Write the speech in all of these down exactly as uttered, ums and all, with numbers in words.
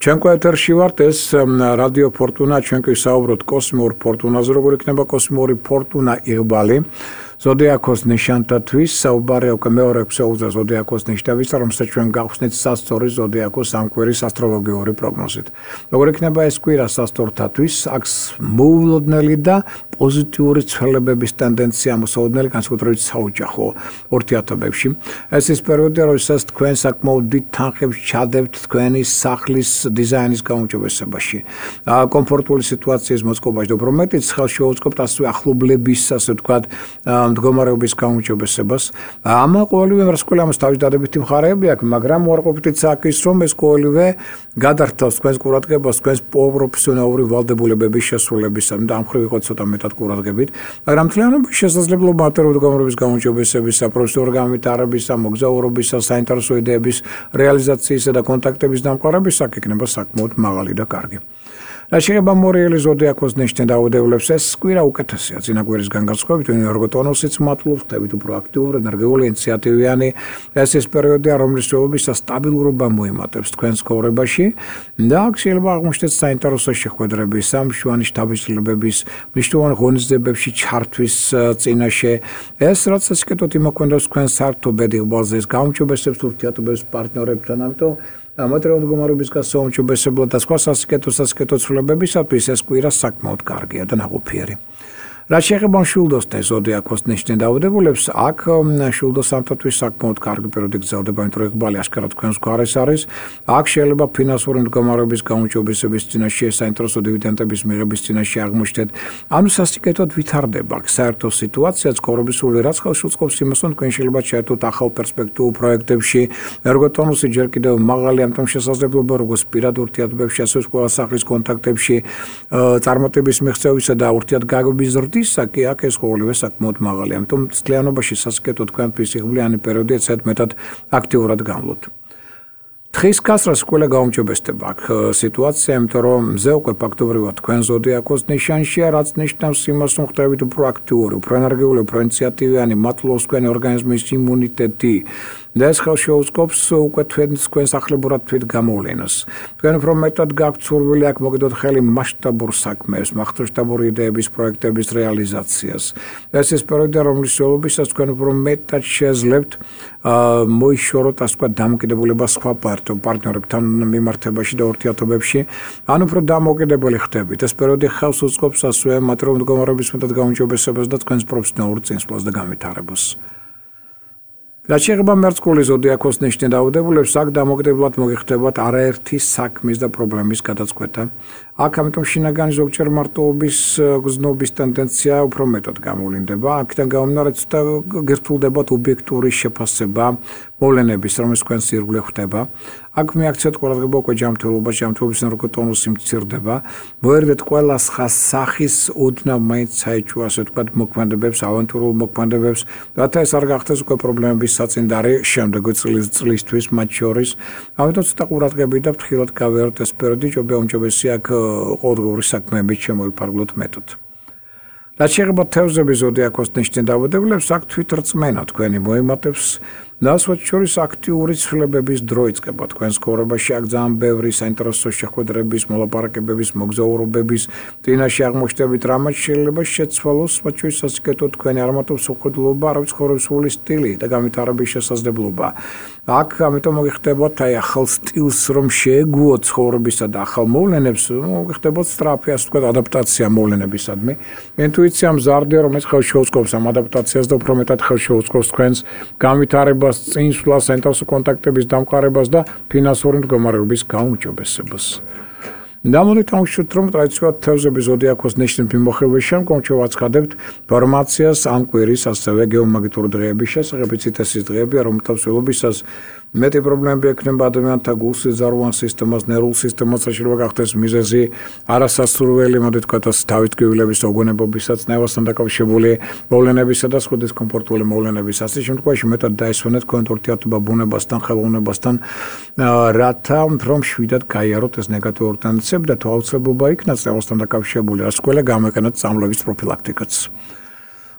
ჩვენკო ეთერში ვართ ეს რადიო ფორტუნა ჩვენკი საუბრობთ კოსმიურ ფორტუნაზე როგორ იქნება კოსმიური ფორტუნა იღბალი ზოდიაქოს ნიშანთათვის საუბარი უკვე მეორე ეპიზოდზე ზოდიაქოს ნიშნების რომელსაც ჩვენ გავხსნით სასწორი ზოდიაქოს სამკვირის ასტროლოგიური პროგნოზით. Როგორ იქნება ეს კვირა სასწორთათვის აქვს მოულოდნელი და პოზიტიური ცვლილებების ტენდენცია მოსაოდნელი განსაკუთრებით საოჯახო ურთიერთობებში. ეს ის პერიოდი როდესაც თქვენ საკმაოდ დიდ თანხებს ჩადებთ თქვენი სახლის დიზაინის გაუმჯობესებაში. კომფორტული სიტუაციის მოწყობაში და უფრო მეტიც ხელშეუწყობთ ასევე ახლობლების ასე ვთქვათ მდგომარეობის გაუმჯობესებას. ამ ყოველივე რასკვლელი ამას თავის დადებითი მხარეები აქვს, მაგრამ უარყოფითიც აქ ის რომ ეს ყოველივე გადართავს თქვენს ყურადღებას თქვენს პროფესიონალური ვალდებულებების შესრულებისა და ამ ხრივ იყო ცოტა მეტად ყურადღებით, მაგრამ მთლიანობაში შესაძლებლობა მატერიალური მდგომარეობის გაუმჯობესებისა, პროფესიონალური განვითარებისა, მოგზაურობისა, საინტერესო იდეების რეალიზაციისა და კონტაქტების დამყარების აქ იქნება საკმაოდ მაღალი და კარგი. რა შეიძლება მორიელი ზოდიაქოს ნიშნით დაუდევლებს ეს კვირა უკეთესია წინა კვირისგან განსხვავებით ენერგო ტონუსიც მატლობს ხდებით უფრო აქტიური ენერგიული ინიციატივიანი ეს ის პერიოდია რომლის შეულებისა სტაბილურობა მოიმატებს თქვენს ცხოვრებაში და აქ შეიძლება აღმოჩნდეთ საინტერესო შეხვედრების სამშვენი შთაბეჭდილებების მნიშვნელოვან ღონისძიებებში ჩართვის წინაშე ეს რაც ასკეთოთ იმოქმედებს თქვენ საერთო ბედიღბალზე ეს გაუმჯობესებს ურთიერთობებს პარტნიორებთან ამიტომ მატერიალური მდგომარეობის გასაუმჯობესებლად და სხვა სასიკეთო სასიკეთო ცვლილებებისათვის ეს კვირა საკმაოდ კარგია და ნაყოფიერი. რა შეეხება მშვილდოსთან ზოდიაქოს ნიშნით დაავადებულებს აქ მშვილდოსთათვის საკმაოდ კარგი პერიოდი გრძელდება იმიტომ რომ იღბალი აშკარად თქვენს გვარეს არის აქ შეიძლება ფინანსური მდგომარეობის გაუმჯობესების წინაშე საინტერესო დივიდენდების მიღების წინაშე აღმოჩნდეთ ანუ სასიკეთოდ ვითარდება საერთო სიტუაცია ცხოვრებისული რაც ხელშეუწყობს იმას რომ თქვენ შეიძლება შეერთოთ ახალ პერსპექტივულ პროექტებში ერგოტონუსი ჯერ კიდევ მაღალი ამიტომ შესაძლებლობა როგორც პირად ურთიერთობებში ასევე ყველა სახლის კონტაქტებში წარმატების მიღწევისა და ურთიერთგაგების ისაკი აქ ეს ყოველივე საკმაოდ მაღალი, ამიტომ მთლიანობაში სასიკეთო თქვენთვის იღბლიანი პერიოდი ეცეთ მეტად აქტიურად გამლოთ. თხის გასრას ყველა გაუმჯობესდება აქ სიტუაცია, იმიტომ რომ მზე უკვე ფაქტობრივად თქვენ ზოდიაქოს ნიშანშია, რაც ნიშნავს იმას, რომ ხდებით უფრო აქტიური, უფრო ენერგიული, უფრო ინიციატივიანი, მატლობს თქვენი ორგანიზმის იმუნიტეტი და ეს ხელშეუწყობს უკვე თქვენს თქვენს ახლებურად თვით გამოვლენას. თქვენ უფრო მეტად გაქვთ სურვილი აქ მოგდოთ ხელი მასშტაბურ საქმეებს, მასშტაბური იდეების, პროექტების რეალიზაციას. ეს ის პერიოდი, რომლის შეულებისას თქვენ უფრო მეტად შეძლებთ მოიშოროთ ასე ვთქვათ დამოკიდებულება სხვა პარტნიორებთან მიმართებაში და ურთიერთობებში, ან უფრო დამოკიდებელი ხდებით. ეს პერიოდი ხელს უწყობს ასევე მატერიალური მდგომარეობის მეტად გაუმჯობესებას და თქვენს პროფესიონალურ წინსვლას და განვითარებას. რა შეეხება მერწყული ზოდიაქოს ნიშნით დაავადებულებს აქ დამოკიდებლად მოგიხდებათ არაერთი საქმის და პრობლემის გადაწყვეტა. აქ ამიტომ შინაგანი ზოგჯერ მარტოობის გზნობის ტენდენცია უფრო მეტად გამოვლინდება. აქედან გამომდინარე ცოტა გერთულდებათ ობიექტური შეფასება მოვლენების, რომელიც თქვენს ირგვლივ ხდება. აქ მიაქციოთ ყურადღება უკვე ჯანმრთელობას, ჯანმრთელობის ენერგოტონუსი მცირდება. მოერიდეთ ყველა სხვა სახის ოდნავ მაინც საეჭვო ასე ვთქვათ მოქმედებებს, ავანტურულ მოქმედებებს, რათა ეს არ გახდეს უკვე პრობლემების საწინდარი შემდეგი წლისთვის მათ შორის. ამიტომ ცოტა ყურადღებით და ფრთხილად გავიაროთ ეს პერიოდი, ჯობია უმჯობესია აქ ყოველდღიური საქმეებით შემოიფარგლოთ მეტოდ. რაც შეეხება თევზების ზოდიაქოს ნიშნით დაავადებულებს აქ თვითრწმენა თქვენი მოიმატებს და ასვათ შორის აქტიური ცვლილებების დრო იწყება თქვენს ცხოვრებაში აქ ძალიან ბევრი საინტერესო შეხვედრების, მოლაპარაკებების, მოგზაურობების წინაშე აღმოჩნდებით, რამაც შეიძლება შეცვალოს მათ შორის სასიკეთო თქვენი არამარტო მსხვერპლობა, არამედ ცხოვრებისული სტილი და განვითარების შესაძლებლობა. აქ ამიტომ მოგიხდებათ აი ახალ სტილს რომ შეეგუოთ ცხოვრებისა და ახალ მოვლენებს, მოგიხდებათ სწრაფი ასე ვთქვათ ადაპტაცია მოვლენებისადმი. ინტუიცია მზარდია, რომელიც ხელშეუწყობს ამ ადაპტაციას და უფრო მეტად ხელშეუწყობს თქვენს განვითარებას წინსვლას, საინტერესო კონტაქტების დამყარებას და ფინანსური მდგომარეობის გაუმჯობესებას. დამოდით ამშვით რომ ტრადიციულად თევზების ზოდიაქოს ნიშნით მიმოხილვის შემდგომ შევაცხადებთ ინფორმაციას ამ კვირის ასევე გეომაგნიტური დღეების შესახებ, იცით ეს ის დღეებია, რომელთა მსვლელობისას მეტი პრობლემები ექნება ადამიანთა გულსიზარვან სისტემას, ნერვულ სისტემას, შეიძლება გახდეს მიზეზი არასასურველი, მოდი ვთქვათ ასე თავისკივილებისოგონებობისაც, ნერვასთან დაკავშირებული მოვლენებისა და სხვა დისკომფორტული მოვლენების. ასე შემთხვევაში მეტად დაესვენეთ თქვენ ურთიერთობა ბუნებასთან, ხელოვნებასთან, რათა რომ შვიდად გაიაროთ ეს ნეგატიური ტენდენციები და თუ აუცილებლობა იქნას ნერვასთან დაკავშირებული, რაც ყველა გამოიყენოთ წამლების პროფილაქტიკაც.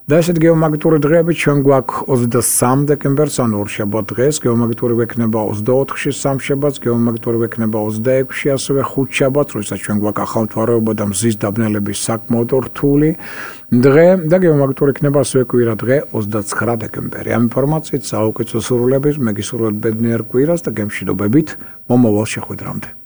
და ესეთ გეომაგნიტური დღეები ჩვენ გვაქვს ოცდასამი დეკემბერს, ანუ ორშაბათ დღეს, გეომაგნიტური გვექნება ოცდაოთხში სამშაბათს, გეომაგნიტური გვექნება ოცდაექვსში, ასევე ხუთშაბათს, როდესაც ჩვენ გვაქვს ახალთვარეობა და მზის დაბნელების საკმაოდ რთული დღე და გეომაგნიტური იქნება ასევე კვირა დღე ოცდაცხრა დეკემბერი. ამ ინფორმაციით საუკეთესო სურვილებით, მე გისურვებთ ბედნიერ კვირას და გემშვიდობებით მომავალ შეხვედრამდე.